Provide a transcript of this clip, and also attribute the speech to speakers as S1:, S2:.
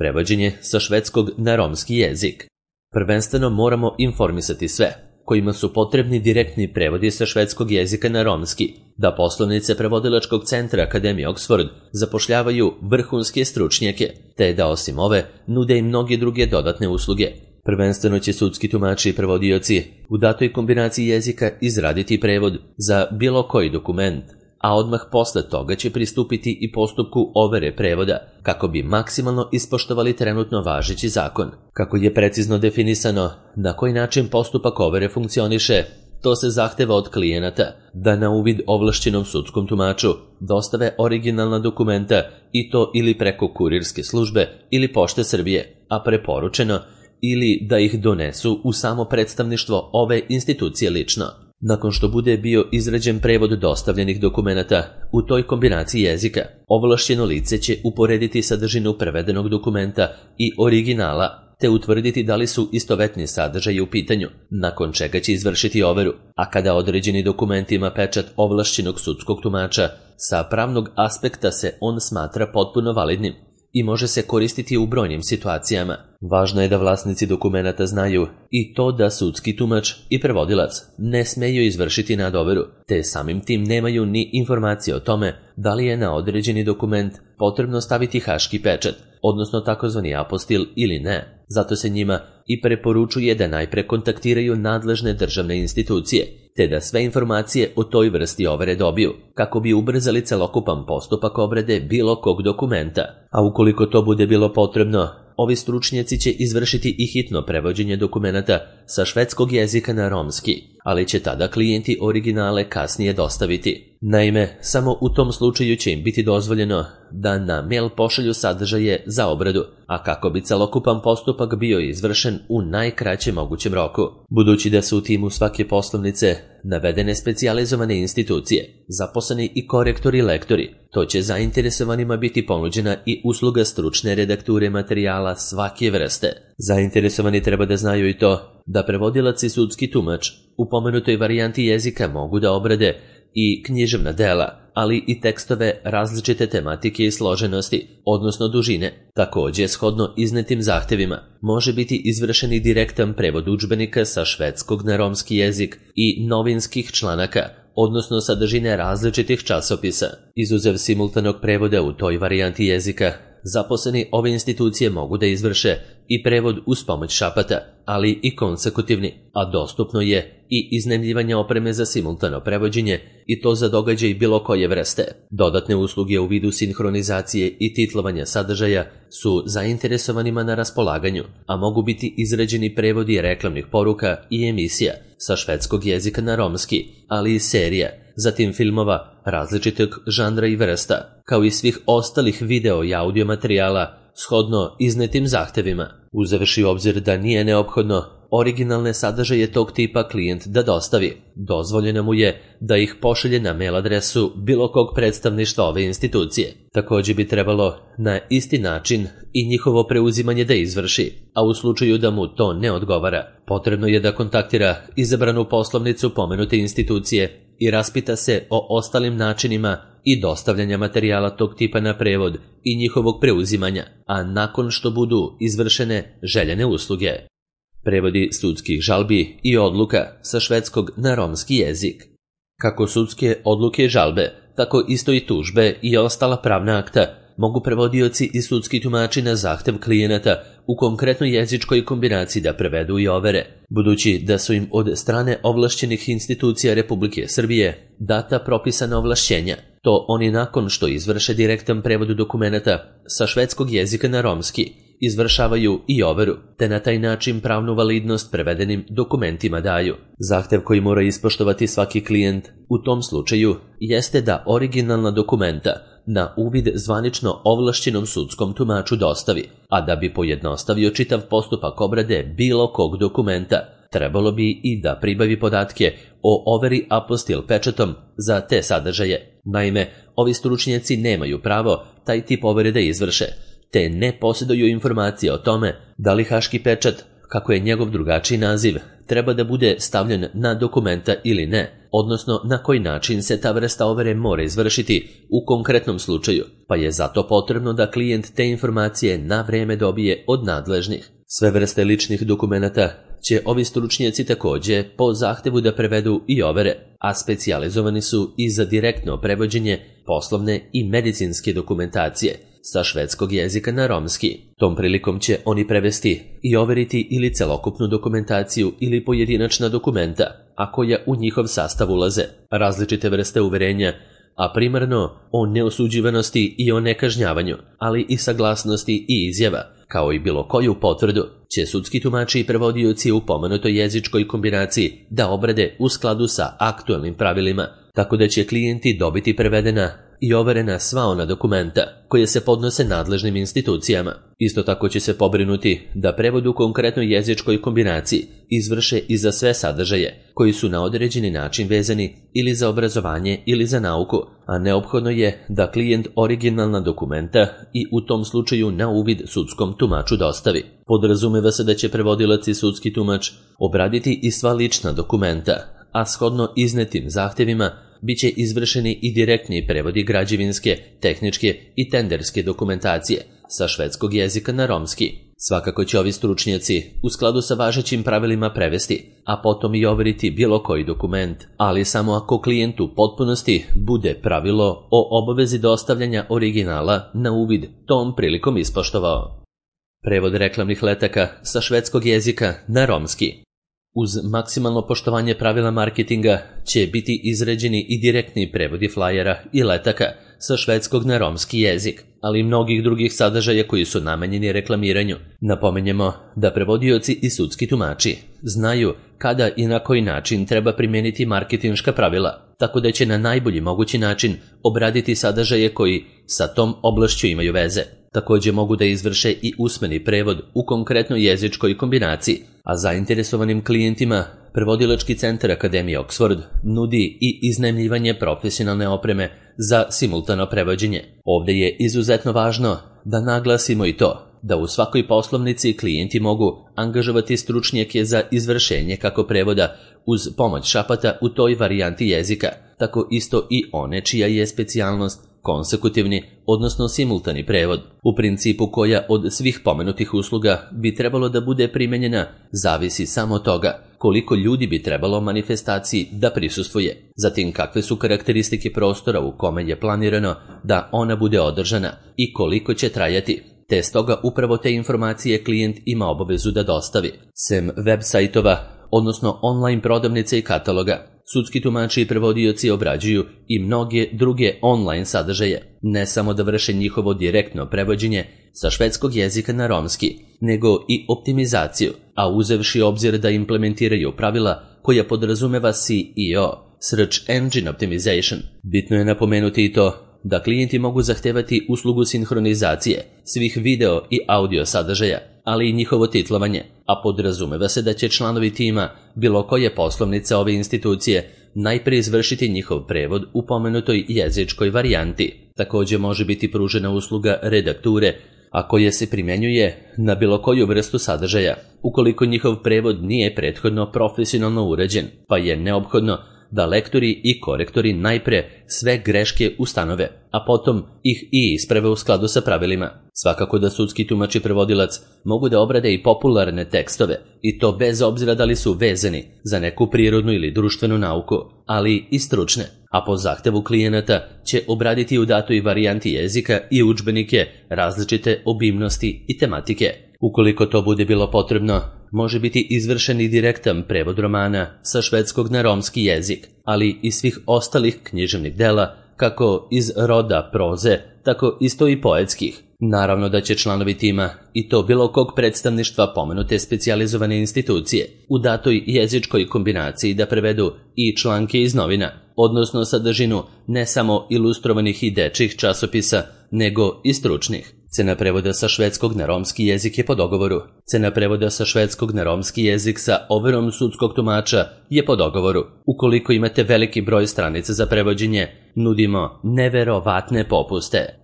S1: prevođenje sa švedskog na romski jezik. Prvenstveno moramo informisati sve kojima su potrebni direktni prevodi sa švedskog jezika na romski, da poslovnice prevodilačkog centra Akademije Oxford zapošljavaju vrhunske stručnjake, te da osim ove nude i mnoge druge dodatne usluge. Prvenstveno će sudski tumači i prevodioci u datoj kombinaciji jezika izraditi prevod za bilo koji dokument, a odmah posle toga će pristupiti i postupku overe prevoda, kako bi maksimalno ispoštovali trenutno važeći zakon. Kako je precizno definisano na koji način postupak overe funkcioniše, to se zahteva od klijenata da na uvid ovlašćenom sudskom tumaču dostave originalna dokumenta i to ili preko kurirske službe ili Pošte Srbije, a preporučeno ili da ih donesu u samo predstavništvo ove institucije lično. Nakon što bude bio izrađen prevod dostavljenih dokumenata u toj kombinaciji jezika, ovlašćeno lice će uporediti sadržinu prevedenog dokumenta i originala, te utvrditi da li su istovetni sadržaji u pitanju, nakon čega će izvršiti overu, a kada određeni dokument ima pečat ovlašćenog sudskog tumača, sa pravnog aspekta se on smatra potpuno validnim i može se koristiti u brojnim situacijama. Važno je da vlasnici dokumenata znaju i to da sudski tumač i prevodilac ne smeju izvršiti nadoveru, te samim tim nemaju ni informacije o tome da li je na određeni dokument potrebno staviti haški pečat, odnosno takozvani apostil ili ne. Zato se njima i preporučuje da najpre kontaktiraju nadležne državne institucije, te da sve informacije o toj vrsti overe dobiju, kako bi ubrzali celokupan postupak obrade bilo kog dokumenta. A ukoliko to bude bilo potrebno, ovi stručnjaci će izvršiti i hitno prevođenje dokumenata sa švedskog jezika na romski, ali će tada klijenti originale kasnije dostaviti. Naime, samo u tom slučaju će im biti dozvoljeno da na mail pošalju sadržaje za obradu, a kako bi celokupan postupak bio izvršen u najkraćem mogućem roku. Budući da su u timu svake poslovnice navedene specijalizovane institucije, zaposleni i korektori i lektori, to će zainteresovanima biti ponuđena i usluga stručne redakture materijala svake vrste. Zainteresovani treba da znaju i to da prevodilac i sudski tumač u pomenutoj varijanti jezika mogu da obrade i književna dela, ali i tekstove različite tematike i složenosti, odnosno dužine. Također, shodno iznetim zahtevima, može biti izvršen i direktan prevod udžbenika sa švedskog na romski jezik i novinskih članaka, odnosno sadržine različitih časopisa. Izuzev simultanog prevoda u toj varijanti jezika, zaposleni ove institucije mogu da izvrše i prevod uz pomoć šapata, ali i konsekutivni, a dostupno je i iznajmljivanje opreme za simultano prevođenje i to za događaj bilo koje vrste. Dodatne usluge u vidu sinhronizacije i titlovanja sadržaja su zainteresovanima na raspolaganju, a mogu biti izrađeni prevodi reklamnih poruka i emisija sa švedskog jezika na romski, ali i serija, zatim filmova različitog žanra i vrsta, kao i svih ostalih video i audio materijala shodno iznetim zahtevima. Uzevši u obzir da nije neophodno originalne sadržaje tog tipa klijent da dostavi, dozvoljeno mu je da ih pošalje na mail adresu bilo kog predstavništva ove institucije. Također bi trebalo na isti način i njihovo preuzimanje da izvrši, a u slučaju da mu to ne odgovara, potrebno je da kontaktira izabranu poslovnicu pomenute institucije i raspita se o ostalim načinima i dostavljanja materijala tog tipa na prevod i njihovog preuzimanja, a nakon što budu izvršene željene usluge. Prevodi sudskih žalbi i odluka sa švedskog na romski jezik. Kako sudske odluke i žalbe, tako isto i tužbe i ostala pravna akta mogu prevodioci i sudski tumači na zahtev klijenata u konkretnoj jezičkoj kombinaciji da prevedu i overe, budući da su im od strane ovlašćenih institucija Republike Srbije data propisana ovlašćenja. To oni nakon što izvrše direktan prevod dokumenata sa švedskog jezika na romski izvršavaju i overu, te na taj način pravnu validnost prevedenim dokumentima daju. Zahtev koji mora ispoštovati svaki klijent u tom slučaju jeste da originalna dokumenta na uvid zvanično ovlašćenom sudskom tumaču dostavi, a da bi pojednostavio čitav postupak obrade bilo kog dokumenta, trebalo bi i da pribavi podatke o overi apostil pečatom za te sadržaje. Naime, ovi stručnjaci nemaju pravo taj tip overe da izvrše, te ne posjeduju informacije o tome da li haški pečat, kako je njegov drugačiji naziv, treba da bude stavljen na dokumenta ili ne, odnosno na koji način se ta vrsta overe mora izvršiti u konkretnom slučaju, pa je zato potrebno da klijent te informacije na vreme dobije od nadležnih. Sve vrste ličnih dokumenata će ovi stručnjaci također po zahtevu da prevedu i overe, a specijalizovani su i za direktno prevođenje poslovne i medicinske dokumentacije sa švedskog jezika na romski. Tom prilikom će oni prevesti i overiti ili celokupnu dokumentaciju ili pojedinačna dokumenta, a koja u njihov sastav ulaze različite vrste uverenja, a primarno o neosuđivanosti i o nekažnjavanju, ali i saglasnosti i izjava, kao i bilo koju potvrdu, će sudski tumači i prevodioci u pomenutoj jezičkoj kombinaciji da obrade u skladu sa aktualnim pravilima, tako da će klijenti dobiti prevedena i overena sva ona dokumenta koje se podnose nadležnim institucijama. Isto tako će se pobrinuti da prevod u konkretnoj jezičkoj kombinaciji izvrše i za sve sadržaje koji su na određeni način vezani ili za obrazovanje ili za nauku, a neophodno je da klijent originalna dokumenta i u tom slučaju na uvid sudskom tumaču dostavi. Podrazumeva se da će prevodilac i sudski tumač obraditi i sva lična dokumenta, a shodno iznetim zahtevima biće izvršeni i direktni prevodi građevinske, tehničke i tenderske dokumentacije sa švedskog jezika na romski. Svakako će ovi stručnjaci u skladu sa važećim pravilima prevesti, a potom i overiti bilo koji dokument, ali samo ako klijent u potpunosti bude pravilo o obavezi dostavljanja originala na uvid tom prilikom ispoštovao. Prevod reklamnih letaka sa švedskog jezika na romski. Uz maksimalno poštovanje pravila marketinga će biti izrađeni i direktni prevodi flajera i letaka sa švedskog na romski jezik, ali i mnogih drugih sadržaja koji su namenjeni reklamiranju. Napomenjemo da prevodioci i sudski tumači znaju kada i na koji način treba primijeniti marketinška pravila, tako da će na najbolji mogući način obraditi sadržaje koji sa tom oblašću imaju veze. Također mogu da izvrše i usmeni prevod u konkretnoj jezičkoj kombinaciji, a zainteresovanim klijentima Prevodilački centar Akademije Oxford nudi i iznajmljivanje profesionalne opreme za simultano prevođenje. Ovdje je izuzetno važno da naglasimo i to da u svakoj poslovnici klijenti mogu angažovati stručnjake za izvršenje kako prevoda uz pomoć šapata u toj varijanti jezika, tako isto i one čija je specijalnost konsekutivni, odnosno simultani prevod. U principu koja od svih pomenutih usluga bi trebalo da bude primenjena zavisi samo od toga koliko ljudi bi trebalo manifestaciji da prisustvuje, zatim kakve su karakteristike prostora u kome je planirano da ona bude održana i koliko će trajati, te stoga upravo te informacije klijent ima obavezu da dostavi. Sem web sajtova, odnosno online prodavnice i kataloga, sudski tumači i prevodioci obrađuju i mnoge druge online sadržaje, ne samo da vrše njihovo direktno prevođenje sa švedskog jezika na romski, nego i optimizaciju, a uzevši obzir da implementiraju pravila koja podrazumeva SEO, Search Engine Optimization. Bitno je napomenuti i to da klijenti mogu zahtevati uslugu sinhronizacije svih video i audio sadržaja, ali i njihovo titlovanje, a podrazumeva se da će članovi tima bilo koje poslovnice ove institucije najprije izvršiti njihov prevod u pomenutoj jezičkoj varijanti. Također može biti pružena usluga redakture, a koja se primjenjuje na bilo koju vrstu sadržaja, ukoliko njihov prevod nije prethodno profesionalno uređen, pa je neophodno da lektori i korektori najpre sve greške ustanove, a potom ih i isprave u skladu sa pravilima. Svakako da sudski tumač i prevodilac mogu da obrade i popularne tekstove, i to bez obzira da li su vezani za neku prirodnu ili društvenu nauku, ali i stručne, a po zahtevu klijenata će obraditi u datoj varijanti jezika i udžbenike različite obimnosti i tematike. Ukoliko to bude bilo potrebno, može biti izvršen i direktan prevod romana sa švedskog na romski jezik, ali i svih ostalih književnih dela, kako iz roda proze, tako isto i poetskih. Naravno da će članovi tima i to bilo kog predstavništva pomenute specijalizovane institucije u datoj jezičkoj kombinaciji da prevedu i članke iz novina, odnosno sadržinu ne samo ilustrovanih i dečjih časopisa, nego i stručnih. Cena prevoda sa švedskog na romski jezik je po dogovoru. Cena prevoda sa švedskog na romski jezik sa overom sudskog tumača je po dogovoru. Ukoliko imate veliki broj stranica za prevođenje, nudimo neverovatne popuste.